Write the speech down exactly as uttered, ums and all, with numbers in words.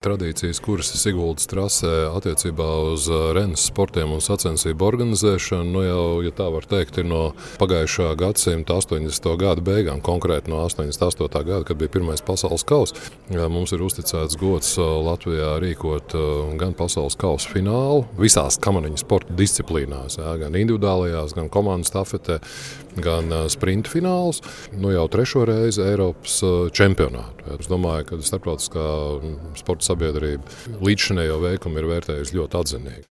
Tradīcijas, kuras ir Siguldas trasē attiecībā uz rennes sportiem un sacensību organizēšanu, nu jau, ja tā var teikt, ir no pagājušā gadsimta astoņdesmito gadu beigām, konkrēti no astoņdesmit astotā gada, kad bija pirmais pasaules kauss. Mums ir uzticēts gods Latvijā rīkot gan pasaules kausa finālu visās kamaniņu sporta disciplīnās, jā, gan individuālajās, gan komandu stafetē, gan sprinta fināls, nu jau trešo reizi Eiropas čempionātu. Es domāju, ka starptautiskā sporta sabiedrība līdzšinējo veikumu ir vērtējusi ļoti atzinīgi.